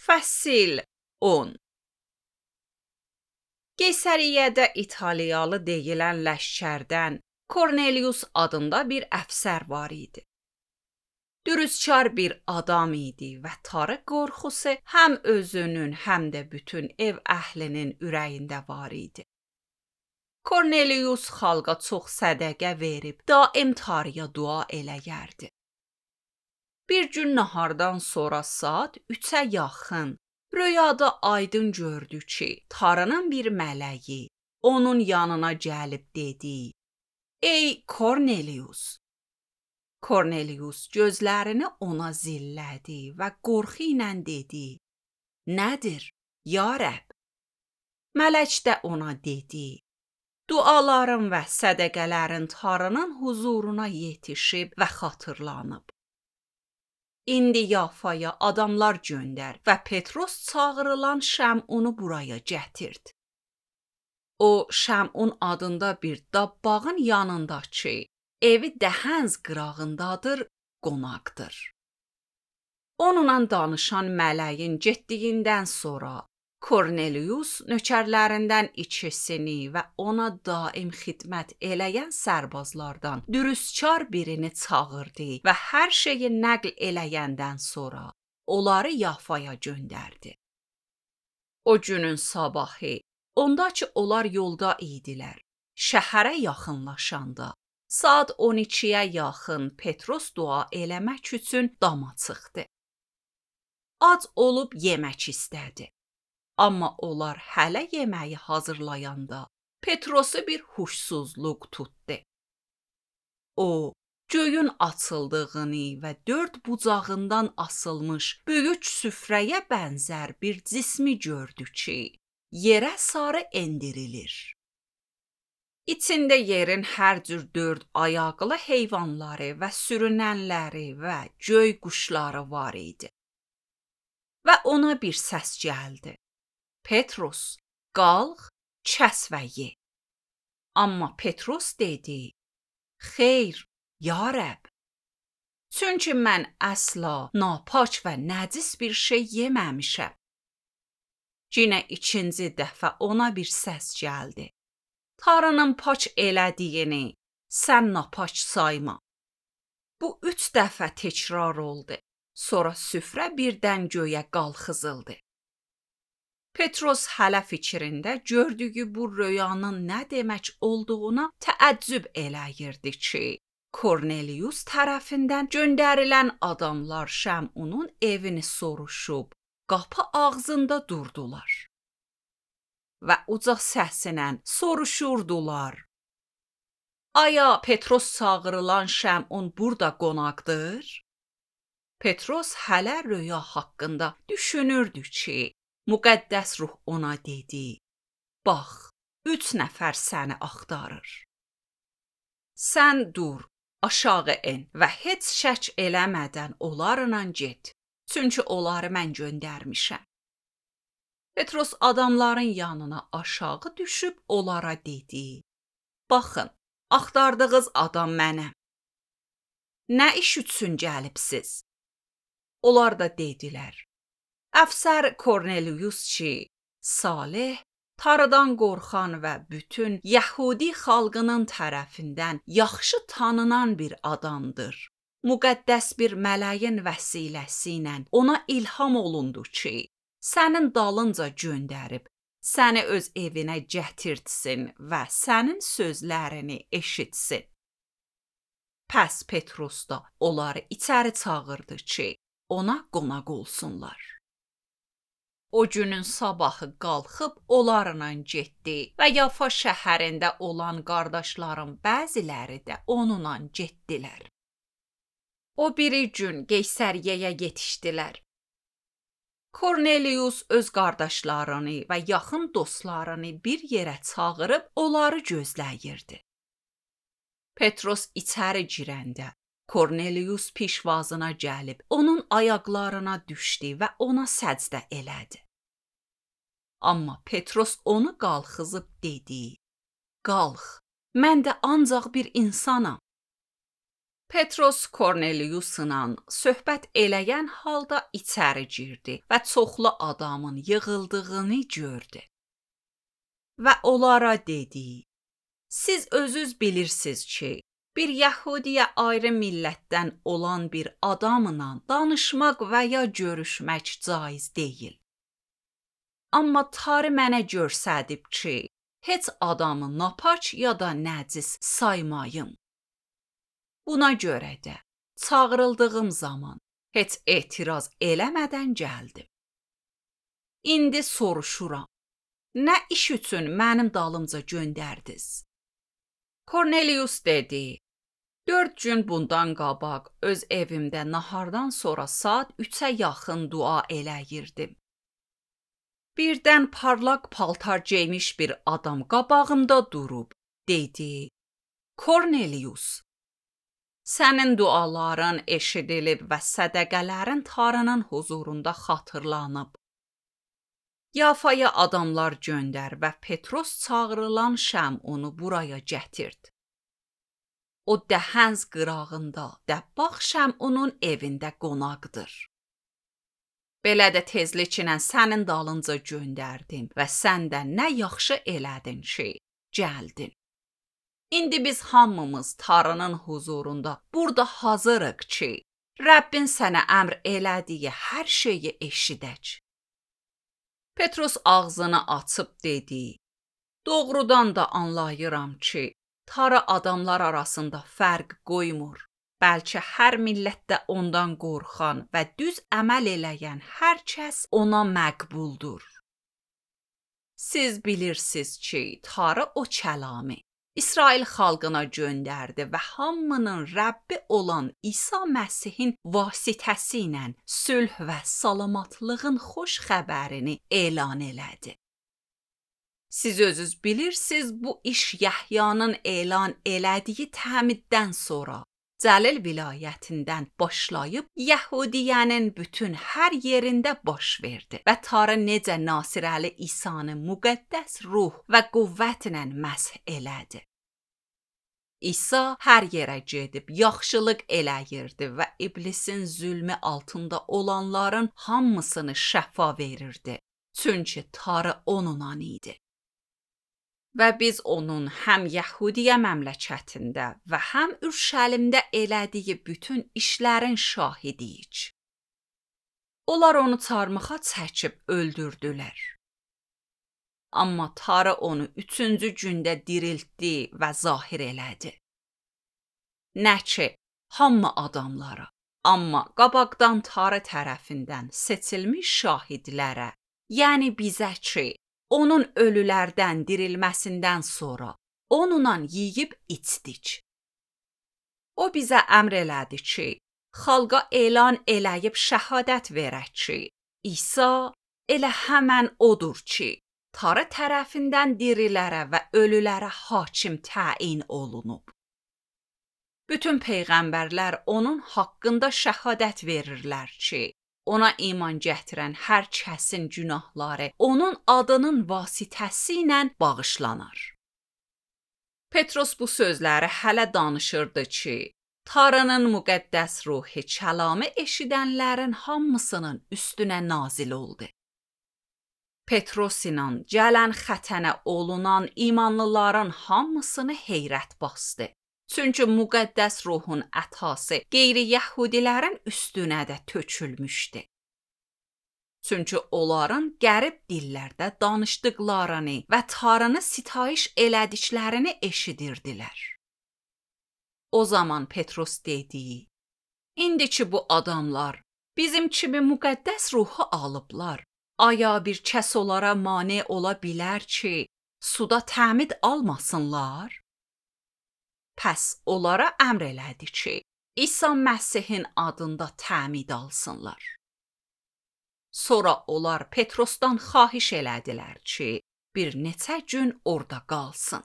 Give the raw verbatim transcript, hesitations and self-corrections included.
Fəsil on. Qeysəriyyədə İtaliyalı deyilən ləşkərdən Kornelius adında bir əfsər var idi. Dürüstçar bir adam idi və tarı qorxusu həm özünün, həm də bütün ev əhlinin ürəyində var idi. Kornelius xalqa çox sədəqə verib, daim tarıya dua eləyərdi. Bir gün nahardan sonra saat üçə yaxın röyada aydın gördü ki, tarının bir mələyi onun yanına gəlib dedi: "Ey Kornelius!" Kornelius gözlərini ona zillədi və qorxu ilə dedi: "Nədir, ya Rəbb?" Mələk də ona dedi: "Duaların və sədəqələrin tarının huzuruna yetişib və xatırlanıb. İndi Yafaya adamlar göndər və Petros çağırılan Şəmunu buraya gətird. O, Şəmun adında bir dabbağın yanındakı evi dəhənz qırağındadır, qonaqdır." Onunla danışan mələyin getdiyindən sonra Kornelius nökərlərindən ikisini və ona daim xidmət eləyən sərbazlardan dürüstçar birini çağırdı və hər şeyi nəql eləyəndən sonra onları Yafaya göndərdi. O günün sabahı, ondakı onlar yolda idilər. Şəhərə yaxınlaşanda saat on ikiyə yaxın Petros dua eləmək üçün dama çıxdı. Ac olub yemək istədi. Amma onlar hələ yeməyi hazırlayanda Petrosu bir huşsuzluq tutdu. O, göyün açıldığını və dörd bucağından asılmış böyük süfrəyə bənzər bir cismi gördü ki, yerə sarı endirilir. İçində yerin hər cür dörd ayaqlı heyvanları və sürünənləri və göy quşları var idi. Və ona bir səs gəldi: "Petros, qalx, kəs və ye." Amma Petros dedi: "Xeyr, ya Rəbb. Çünki mən əsla napak və nəcis bir şey yeməmişəm." Yenə ikinci dəfə ona bir səs gəldi: "Tarının pak elədiyini sən napak sayma." Bu üç dəfə təkrar oldu. Sonra süfrə birdən göyə qalxızıldı. Petros hələ fikrində gördüyü bu röyanın nə demək olduğuna təəccüb eləyirdi ki, Kornelius tərəfindən göndərilən adamlar Şəmunun evini soruşub, qapı ağzında durdular. Və uca səslə soruşurdular: "Aya Petros çağırılan Şəmun burada qonaqdır?" Petros hələ röya haqqında düşünürdü ki, müqəddəs ruh ona dedi: "Bax, üç nəfər səni axtarır. Sən dur, aşağı en və heç şək eləmədən onlarla get, çünki onları mən göndərmişəm." Petros adamların yanına aşağı düşüb onlara dedi: "Baxın, axtardığınız adam mənəm. Nə iş üçün gəlibsiz?" Onlar da dedilər: "Əfsər Kornelius ki, salih, tarıdan qorxan və bütün Yəhudi xalqının tərəfindən yaxşı tanınan bir adamdır. Müqəddəs bir mələyin vəsiləsi ilə ona ilham olundu ki, sənin dalınca göndərib, səni öz evinə gətirtsin və sənin sözlərini eşitsin." Pəs Petros da onları içəri çağırdı ki, ona qonaq olsunlar. O günün sabahı qalxıb onlarla getdi və Yafa şəhərində olan qardaşların bəziləri də onunla getdilər. O biri gün Qeysəriyyəyə yetişdilər. Kornelius öz qardaşlarını və yaxın dostlarını bir yerə çağırıb onları gözləyirdi. Petros içəri girəndə Kornelius pişvazına gəlib onun ayaqlarına düşdü və ona səcdə elədi. Amma Petros onu qalxızıb dedi: "Qalx, mən də ancaq bir insanam." Petros Korneliusla söhbət eləyən halda içəri girdi və çoxlu adamın yığıldığını gördü. Və onlara dedi: Siz özünüz bilirsiniz ki, bir Yəhudiyə ayrı millətdən olan bir adamla danışmaq və ya görüşmək caiz deyil. Amma Tanrı mənə göstərib ki, heç adamı napaç ya da nəcis saymayım. Buna görə də çağırıldığım zaman heç etiraz eləmədən gəldim. İndi soruşuram, nə iş üçün mənim dalımca göndərdiniz? Kornelius dedi: Dörd gün bundan qabaq öz evimdə nahardan sonra saat üçə yaxın dua eləyirdim. Birdən parlaq paltar geymiş bir adam qabağımda durub dedi: Kornelius, sənin duaların eşidilib və sədəqələrin Tanrının huzurunda xatırlanıb. Yafaya adamlar göndər və Petros çağırılan Şəmunu buraya gətird. O dəhənz qırağında dəbbaq Şəmunun evində qonaqdır. Belə də tezliklə sənin dalınca göndərdim və sən də nə yaxşı elədin ki, gəldin. İndi biz hamımız Tanrının huzurunda burada hazırıq ki, Rəbbin sənə əmr elədiyi hər şeyi eşidək. Petros ağzını açıb dedi: Doğrudan da anlayıram ki, Tanrı adamlar arasında fərq qoymur. Bəlkə hər millətdə ondan qorxan və düz əməl eləyən hər kəs ona məqbuldur. Siz bilirsiniz ki, Tanrı o kəlamı İsrail xalqına göndərdi və hamının Rəbbi olan İsa Məsihin vasitəsi ilə sülh və salamatlığın xoş xəbərini elan elədi. Siz özünüz bilirsiniz, bu iş Yəhyanın elan elədiyi təmiddən sonra Cəlil vilayətindən başlayıb Yəhudiyənin bütün hər yerində baş verdi və Tanrı necə Nasirəli İsanı müqəddəs ruh və qüvvətlə məsih elədi. İsa hər yerə gedib yaxşılıq eləyirdi və iblisin zülmü altında olanların hamısını şəfa verirdi. Çünki Tanrı onunla idi. Və biz onun həm Yəhudiyə məmləkətində və həm Ürşəlimdə elədiyi bütün işlərin şahidiyik. Onlar onu çarmıxa çəkib öldürdülər. Amma Tanrı onu üçüncü gündə diriltdi və zahir elədi. Nə ki, hamı adamlara, amma qabaqdan Tanrı tərəfindən seçilmiş şahidlərə, yəni bizə ki, onun ölülərdən dirilməsindən sonra onunla yeyib içdik. O bizə əmr elədi ki, xalqa elan eləyib şəhadət verək ki, İsa elə həmən odur ki, Tanrı tərəfindən dirilərə və ölülərə hakim təyin olunub. Bütün peyğəmbərlər onun haqqında şəhadət verirlər ki, ona iman gətirən hər kəsin günahları onun adının vasitəsi ilə bağışlanar. Petros bu sözləri hələ danışırdı ki, Tanrının müqəddəs ruhu kəlamı eşidənlərin hamısının üstünə nazil oldu. Petros ilə gələn xətənə olunan imanlıların hamısını heyrət bastı. Çünki müqəddəs ruhun ətası qeyri-yəhudilərin üstünə də tökülmüşdü. Çünki onların qərib dillərdə danışdıqlarını və Tanrını sitayiş elədiklərini eşidirdilər. O zaman Petros dedi: İndi ki bu adamlar bizim kimi müqəddəs ruhu alıblar, aya bir kəs onlara mane ola bilər ki, suda təmid almasınlar? Pəs onlara əmr elədi ki, İsa Məsihin adında təmid alsınlar. Sonra onlar Petrosdan xahiş elədilər ki, bir neçə gün orada qalsın.